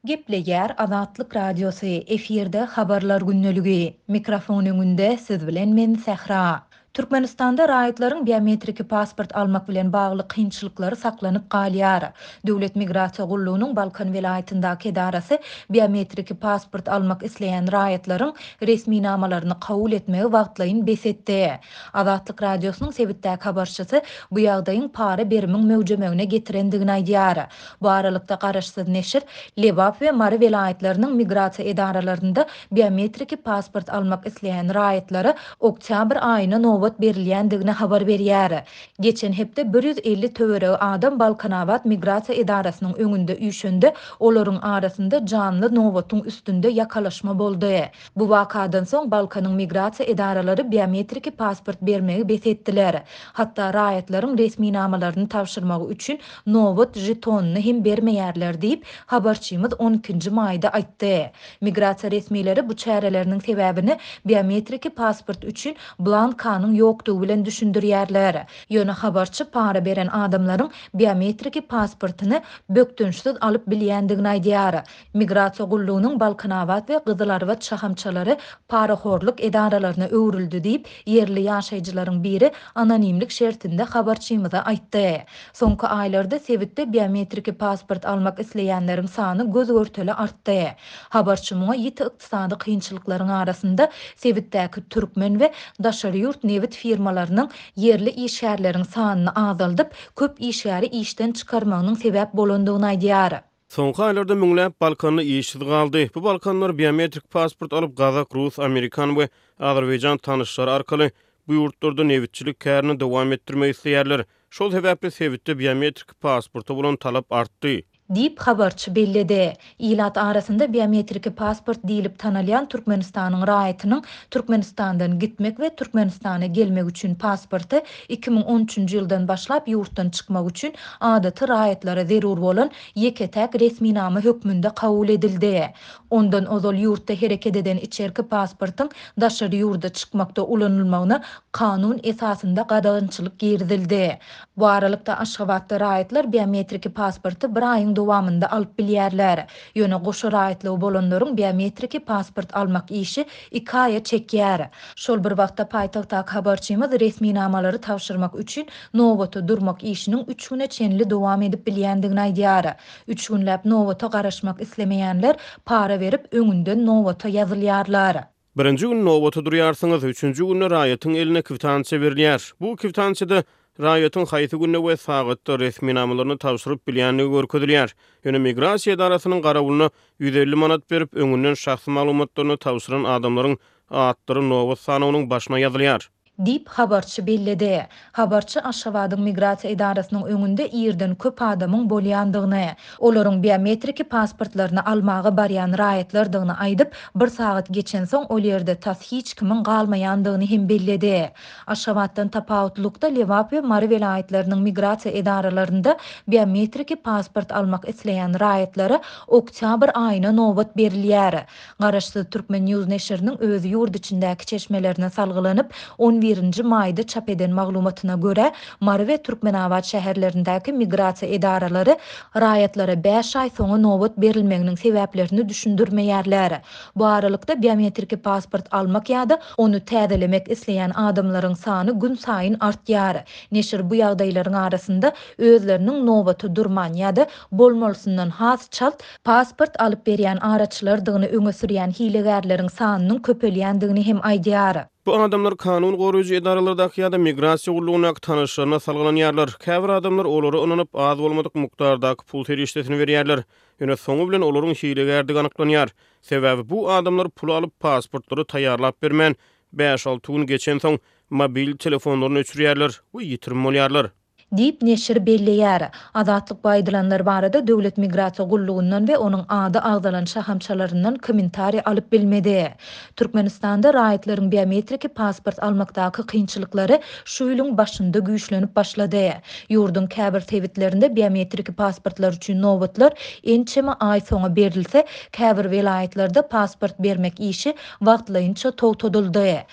Gepleýär Azatlyk Radiosy, efirde Habarlar gündeligi. Mikrofon öňünde siz bilen men Sähra. Türkmenistanda raýatlaryň biometriki pasport almak bilen bagly kynçylyklary saklanyp galýar. Döwlet migrasiýa gullugynyň Balkan welaýatyndaky edarasy biometriki pasport almak isleýän raýatlaryň resminamalaryny kabul etmegi wagtlaýyn bes etdi. Azatlyk Radiosynyň sebitdäki habarçysy bu ýagdaýyň para berimiň möwjemegine getirendigini aýdýar. Bu aralykda, garaşsyz neşir Lebap we Mary welaýatlarynyň migrasiýa edaralarynda biometriki pasport almak isleýän raýatlara oktýabr aýyna nobat berilýändigini habar berýär. Geçen hepde 150 töweregi adam Balkanabat migrasiýa edarasynyň öňünde üýşende, olaryň arasynda janly nobatyň üstünde ýakalaşma boldy. Bu wakadan soň Balkanyň migrasiýa edaralary biometriki pasport bermegi bes etdiler. Hatda raýatlaryň resminamalaryny tabşyrmagy üçin nobat žetonyny hem bermeýärler diýip, habarçymyz on ikinji maýda aýtdy. Migrasiýa resmileri bu çäreleriniň sebäbini biometriki pasport üçin blankanyň ýokdugy bilen düşündirýärler. Ýöne habarçy para beren adamlaryň biometriki pasportyny bökdençsiz alyp bilýändigini aýdýar. Migrasiýa gullugynyň Balkanabat we Gyzylarbat şahamçalary parahorluk edaralaryna öwrüldi diýip, ýerli ýaşaýjylaryň biri anonimlik şertinde habarçymyza aýtdy. Soňky aýlarda sebitde biometriki pasport almak isleýänleriň sany göz-görtele artdy. Habarçy muňa ýiti ykdysady kynçylyklaryň arasynda sebitdäki türkmen we daşary ýurt nebit firmalarynyň ýerli işgärleriň sanyny azaldyp, köp işgäri işden çykarmagynyň sebäp bolandygyny aýdýar. Soňky aýlarda müňläp balkanly işsiz galdy. Bu balkanlar biometrik pasport alyp, gazak, rus, amerikan we azerbaýjan tanyşlary arkaly bu ýurtlarda nebitçilik kärini dowam etdirmek isleýärler. Şol sebäpli sebitde biometrik pasporta bolan talap artdy. Diýip, habarçy belledi. Ilat arasynda biometriki pasport diýlip tanalýan Türkmenistanyň raýatynyň Türkmenistandan gitmek we Türkmenistana gelmek üçin pasporty 2013-nji ýyldan başlap ýurtdan çykmak üçin adaty raýatlara zerur bolan ýeke-täk resminama hökmünde kabul edildi. Ondan ozal ýurtda hereket eden içerki pasportyň daşary ýurda çykmakda ulanylmagyna kanun esasynda gadagançylyk girizildi. Bu aralykda, Aşgabatda raýatlar biometriki pasporty bir aýyň dowamynda alyp bilýärler. Ýöne goşa raýatlygy bolanlaryň biometriki pasport almak işi iki aýa çekýär. Şol bir wagtda, paýtagtdaky habarçymyz resminamalary tabşyrmak üçin nobata durmak işiniň üç güne çenli dowam edip bilýändigini aýdýar. Üç günläp nobata garaşmak islemeýänler para berip, öňünden nobata ýazylýarlar. Birinji gün nobata durýarsyňyz, üçünji günde raýatyň eline kwitansiýa berilýär. Bu kwitansiýada raýatyň haýsy günde we sagatda resminamalaryny tabşyryp bilýändigi görkezilýär. Ýöne migrasiýa edarasynyň garawulyna 150 manat berip, öňünden şahsy maglumatlaryny tabşyran adamlaryň atlary nobat sanawynyň başyna ýazylýar. Diýip, habarçy belledi. Habarçy Aşgabadyň migrasiýa edarasynyň öňünde irden köp adamyň bolýandygyny, olaryň biometriki pasportlaryny almaga barýan raýatlardygyny aýdyp, bir sagat geçensoň ol ýerde tas hiç kimiň galmaýandygyny hem belledi. Aşgabatdan tapawutlykda Lebap we Mary welaýatlarynyň migrasiýa edaralarynda biometriki pasport almak isleýän raýatlara oktýabr aýyna nobat berilýär. Garaşsyz Turkmen News neşiriniň öz ýurt içindäki çeşmelerine salgylanyp, on birinji maýda çap eden maglumatyna görä, Mary we Türkmenabat şäherlerindäki migrasiýa edaralary raýatlara bäş aý soňa nobat berilmeginiň sebäplerini düşündirmeýärler. Bu aralykda, biometriki pasport almak ýa-da ony täzelemek isleýän adamlaryň sany günsaýyn artýar. Neşir bu ýagdaýlaryň arasynda özleriniň nobata durman ýa-da bolmalysyndan has çalt pasport alyp berýän araçylardygyny öňe sürýän hilegärleriň sanynyň köpelýändigini hem aýdýar. Bu adamlar kanun goraýjy edaralardaky ýa-da migrasiýa gullugyndaky tanyşlaryna salgylanýarlar. Käbir adamlar olara ynanyp, az bolmadyk mukdardaky pul serişdesini berýärler. Ýöne soňy bilen olaryň hilegärdigi anyklanýar. Sebäbi bu adamlar puly alyp, pasportlary taýýarlap bermän, bäş-alty gün geçensoň, mobil telefonlaryny öçürýärler we ýitirim bolýarlar. Diýip, neşir belleýär. Azatlyk bu aýdylanlar barada Döwlet migrasiýa gullugyndan we onuň ady agzalan şahamçalaryndan kommentariý alyp bilmedi. Türkmenistanda raýatlaryň biometriki pasport almakdaky kynçylyklary şu ýylyň başynda güýçlenip başlady. Ýurduň käbir sebitlerinde biometriki pasportlar üçin nobatlar ençeme aý soňa berilse, käbir welaýatlarda pasport bermek işi wagtlaýynça togtadyldy.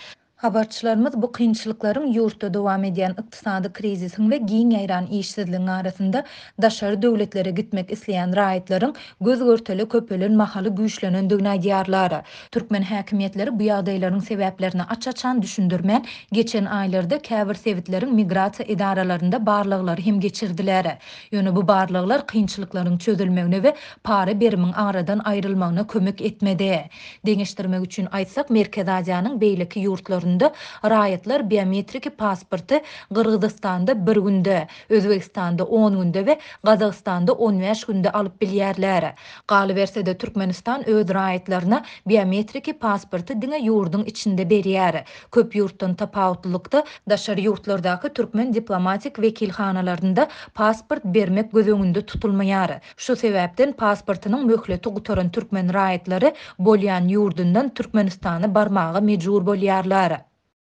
Habarçylarymyz bu kynçylyklaryň ýurtda dowam edýän ykdysady krizisiň we giň ýaýran işsizligiň arasynda daşary döwletlere gitmek isleýän raýatlaryň göz-görtele köpelen mahaly güýçlenendigini aýdýarlar. Türkmen häkimiýetleri bu ýagdaýlaryň sebäplerini aç-açan düşündirmän, geçen aýlarda käbir sebitleriň migrasiýa edaralarynda barlaglary hem geçirdiler. Ýöne bu barlaglar kynçylyklaryň çözülmegine we para-berimiň aradan aýrylmagyna kömek etmedi. Deňeşdirmek üçin aýtsak, Merkezi Aziýanyň beýleki ýurtlarynda raýatlar biometriki pasporty Gyrgyzystanda bir günde, Özbegistanda on günde we Gazagystanda on bäş günde alyp bilýärler. Galyberse-de, Türkmenistan öz raýatlaryna biometriki pasporty diňe ýurduň içinde berýär. Köp ýurtdan tapawutlylykda, daşary ýurtlardaky türkmen diplomatik wekilhanalarynda pasport bermek göz öňünde tutulmaýar. Şu sebäpden pasportynyň möhleti gutaran türkmen raýatlary bolýan ýurdundan Türkmenistana barmaga mejbur bolýarlar.